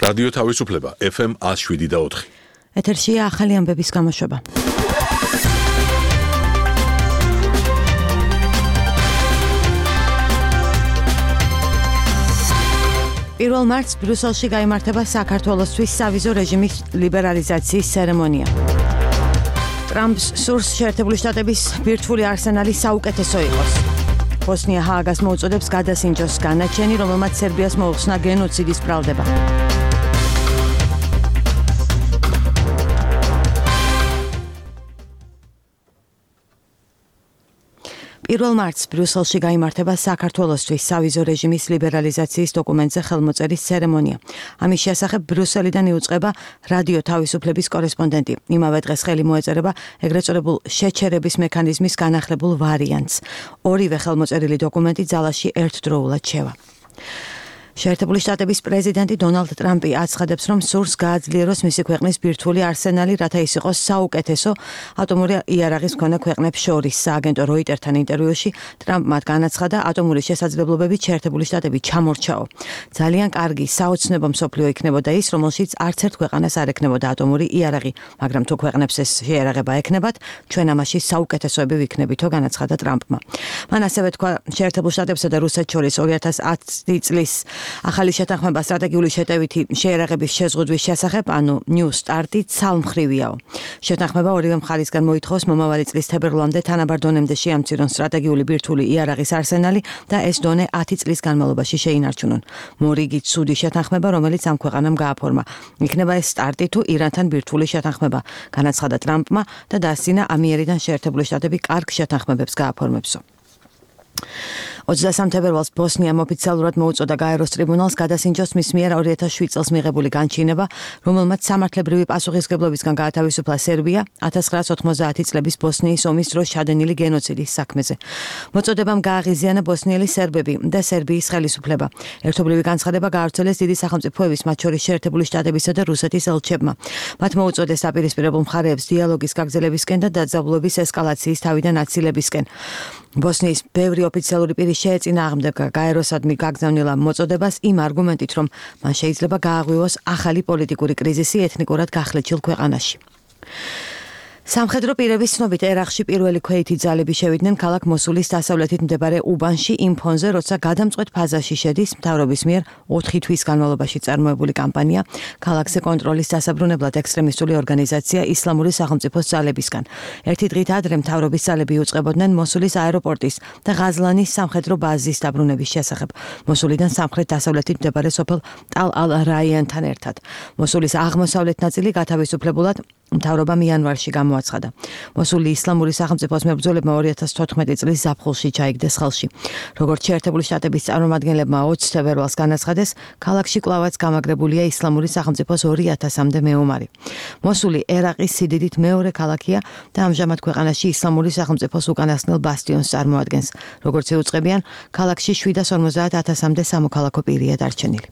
რადიო თავისუფლება FM 107.4. ეთერშია ახალი ამბების გამოშვება. პირველ მარტს ბრიუსელში გაიმართება საქართველოსთვის სავიზო რეჟიმის ლიბერალიზაციის ცერემონია. ტრამპს სურს შეერთებული შტატების ბირთვული არსენალი საუკეთესო იყოს. ბოსნია ჰააგას მოუწოდებს გადასინჯოს განაჩენი, რომელმაც სერბიას მოუხსნა გენოციდის ბრალდება. პირველ მარტს ბრიუსელში გაიმართება საქართველოსთვის სავიზო რეჟიმის ლიბერალიზაციის დოკუმენტზე ხელმოწერის ცერემონია. ამის შესახებ ბრიუსელიდან იუწყება რადიო თავისუფლების კორესპონდენტი. იმავე დღეს ხელი მოეწერება ეგრეთ წოდებულ შეჩერების მექანიზმის განახლებულ ვარიანტს. ორივე ხელმოწერილი დოკუმენტი ძალაში ერთდროულად შევა. შეერთებული შტატების პრეზიდენტი დონალდ ტრამპი აცხადებს, რომ სურს გააძლიეროს მისი ქვეყნის ბირთვული არსენალი, რათა ის იყოს საუკეთესო ატომური იარაღის მქონე ქვეყნებს შორის. სააგენტო როიტერთან ინტერვიუში ტრამპმა განაცხადა, ატომური შესაძლებლობებით შეერთებული შტატები ჩამორჩაო. ძალიან კარგი საოცნებო მსოფლიო იქნებოდა ის, რომელშიც არც ერთ ქვეყანას არ ექნებოდა ატომური იარაღი, მაგრამ თუ ქვეყნებს ეს შეიარაღება ექნებათ, ჩვენ ამაში საუკეთესოები ვიქნებითო, განაცხადა ტრამპმა. მან ასევე თქვა, შეერთებულ შტატებსა და რუსეთს შორის 2010 წლის ახალი შეთანხმება სტრატეგიული შეტევითი შეიარაღების შეზღუდვის შესახებ, ანუ ნიუ სტარტი ცალმხრივიაო. შეთანხმება ორივე მხარისგან მოითხოვს მომავალი წლის თებერვლამდე თანაბარ დონემდე შეამცირონ სტრატეგიული ბირთვული იარაღის არსენალი და ეს დონე 10 წლის განმავლობაში შეინარჩუნონ. მორიგით ცუდი შეთანხმება, რომელიც ამ ქვეყანამ გააფორმა. იქნება ეს სტარტი თუ ირანთან ბირთვული შეთანხმება, განაცხადა ტრამპმა და დასცინა ამიერიდან შეერთებული შტატები კარგ შეთანხმებებს გააფორმებსო. 23 თებერვალს ბოსნიამ ოფიციალურად მოუწოდა გაეროს ტრიბუნალს გადასინჯოს მის მიერ 2007 წელს მიღებული განჩინება, რომელმაც სამართლებრივი პასუხისმგებლობისგან გაათავისუფლა სერბია 1990 წლების ბოსნიის ომის დროს ჩადენილი გენოციდის საქმეზე. მოწოდებამ გააღიზიანა ბოსნიელი სერბები და სერბიის ხელისუფლება. ერთობლივი განცხადება გაავრცელეს დიდი სახელმწიფოების, მათ შორის შეერთებული შტატებისა და რუსეთის ელჩებმა. მათ მოუწოდეს აპირისპირებულ მხარეებს დიალოგის გაგრძელებისკენ და დაძაბულობის ესკალაციის თავიდან აცილებისკენ. ბოსნიის ბევრი ოფიციალური პირი შეეწინააღმდეგა გაეროსადმი გაგზავნილ მოწოდებას იმ არგუმენტით, რომ მან შეიძლება გააღვივოს ახალი პოლიტიკური კრიზისი ეთნიკურად გახლეჩილ ქვეყანაში. სამხედრო პირების ცნობით ერაყში პირველი ქვეითი ძალები შევიდნენ ქალაქ მოსულის დასავლეთით მდებარე უბანში იმ ფონზე, როცა გადამწყვეტ ფაზაში შედის მთავრობის მიერ 4 თვის განმავლობაში წარმოებული კამპანია ქალაქზე კონტროლის დასაბრუნებლად ექსტრემისტული ორგანიზაცია ისლამური სახელმწიფოს ძალებისგან. ერთი დღით ადრე მთავრობის ძალები იუწყებოდნენ მოსულის აეროპორტის და ღაზლანის სამხედრო ბაზის დაბრუნების შესახებ. მოსულიდან სამხრეთ-დასავლეთით მდებარე სოფელ ტალ-ალ-რაიანთან ერთად. მოსულის აღმოსავლეთ ნაწილი გათავისუფლებულად მთავრობამ იანვარში გამოაცხადა. მოსული ისლამური სახელმწიფოს მებრძოლებმა 2014 წლის ზაფხულში ჩაიგდეს ხელში. როგორც შეერთებული შტატების წარმომადგენლებმა 20 თებერვალს განაცხადეს, ქალაქში კვლავაც გამაგრებულია ისლამური სახელმწიფოს 2000-მდე მეომარი. მოსული ერაყის სიდიდით მეორე ქალაქია და ამჟამად ქვეყანაში ისლამური სახელმწიფოს უკანასკნელ ბასტიონს წარმოადგენს. როგორც იუწყებიან, ქალაქში 750,000-მდე სამოქალაქო პირია დარჩენილი.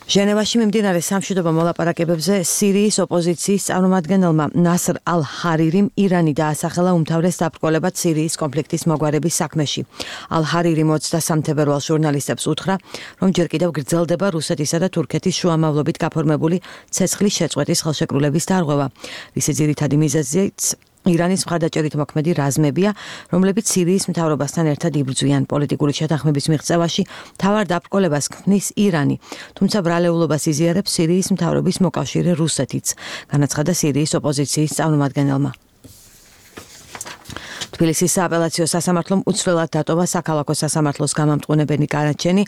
ჟენევაში მიმდინარე სამშვიდობო მოლაპარაკებებზე სირიის ოპოზიციის წარმომადგენელმა ნასრ ალ-ჰარირიმ ირანი დაასახელა უმთავრეს დაბრკოლებად სირიის კონფლიქტის მოგვარების საქმეში. ალ-ჰარირიმ 23 თებერვალს ჟურნალისტებს უთხრა, რომ ჯერ კიდევ გრძელდება რუსეთისა და თურქეთის შუამავლობით გაფორმებული ცეცხლის შეწყვეტის ხელშეკრულების დარღვევა, რის ძირითადი მიზეზიც ირანის მხარდაჭერით მოქმედი რაზმებია, რომლებიც სირიის მთავრობასთან ერთად იბრძვიან პოლიტიკური შეთანხმების მიღწევაში, მთავარ დაბრკოლებას ქმნის ირანი, თუმცა ბრალეულობას იზიარებს სირიის მთავრობის მოკავშირე რუსეთიც, განაცხადა სირიის ოპოზიციის წარმომადგენელმა. თბილისის სააპელაციო სასამართლომ უცვლელად დატოვა საქალაქო სასამართლოს გამამტყუნებელი განაჩენი,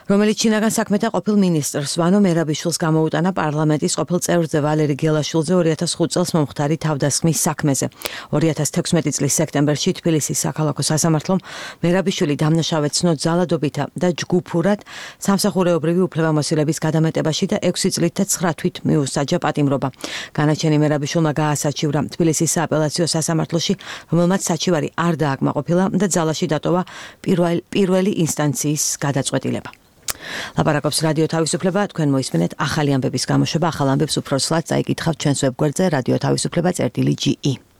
რომელიც ჩინაგან საქმეთა ყოფილ მინისტრს ვანო მერაბიშვილს გამოუტანა პარლამენტის ყოფილ წევრზე ვალერი გელაშვილზე 2005 წელს მომხდარი თავდასხმის საქმეზე. 2016 წლის სექტემბერში თბილისის საქალაქო სასამართლომ მერაბიშვილი დამნაშავედ ცნო ძალადობითა და ჯგუფურად სამსახურეობრივი უფლებამოსილების გადამეტებაში და 6 წლით და 9 თვით მიუსაჯა პატიმრობა. განაჩენი მერაბიშვილმა გაასაჩივრა თბილისის სააპელაციო სასამართლოში, რომელმაც საჩივარი არ დააკმაყოფილა და ძალაში დატოვა პირველი ინსტანციის გადაწყვეტილება. ლაპარაკობს რადიო თავისუფლება, თქვენ მოისმენთ ახალი ამბების გამოშვება, ახალ ამბებს უფრო სლად წაიკითხავთ ჩვენს ვებგვერდზე radiotavisupleba.ge.